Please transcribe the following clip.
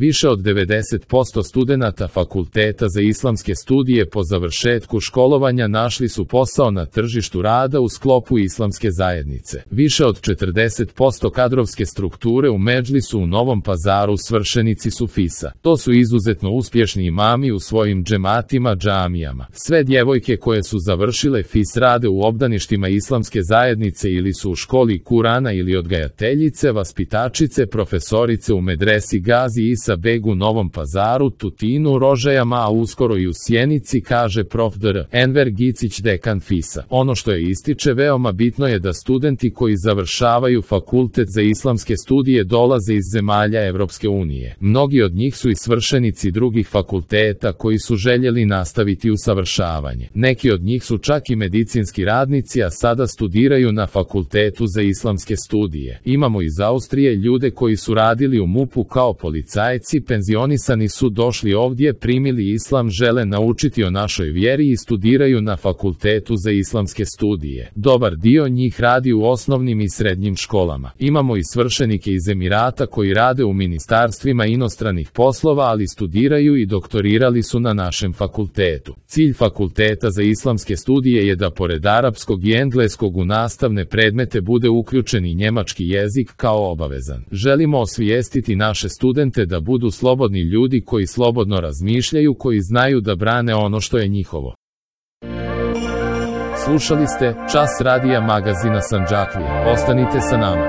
Više od 90% studenata fakulteta za islamske studije po završetku školovanja našli su posao na tržištu rada u sklopu islamske zajednice. Više od 40% kadrovske strukture u Medžlisu u Novom Pazaru svršenici su FIS-a. To su izuzetno uspješni imami u svojim džematima, džamijama. Sve djevojke koje su završile FIS rade u obdaništima islamske zajednice ili su u školi Kurana ili odgajateljice, vaspitačice, profesorice u medresi Gazi Isa Beg u Novom Pazaru, Tutinu, Rožajama, a uskoro i u Sjenici, kaže prof. dr. Enver Gicić, dekan FIS-a. Ono što je ističe veoma bitno je da studenti koji završavaju fakultet za islamske studije dolaze iz zemalja Evropske unije. Mnogi od njih su i svršenici drugih fakulteta koji su željeli nastaviti usavršavanje. Neki od njih su čak i medicinski radnici, a sada studiraju na fakultetu za islamske studije. Imamo iz Austrije ljude koji su radili u MUP-u kao policajci, penzionisani su došli ovdje, primili islam, žele naučiti o našoj vjeri i studiraju na fakultetu za islamske studije. Dobar dio njih radi u osnovnim i srednjim školama. Imamo i svršenike iz Emirata koji rade u ministarstvima inostranih poslova, ali studiraju i doktorirali su na našem fakultetu. Cilj fakulteta za islamske studije je da pored arapskog i engleskog u nastavne predmete bude uključen i njemački jezik kao obavezan. Želimo osvijestiti naše studente da budu slobodni ljudi koji slobodno razmišljaju, koji znaju da brane ono što je njihovo. Slušali ste Čas radija magazina Sandžaklija. Ostanite sa nama.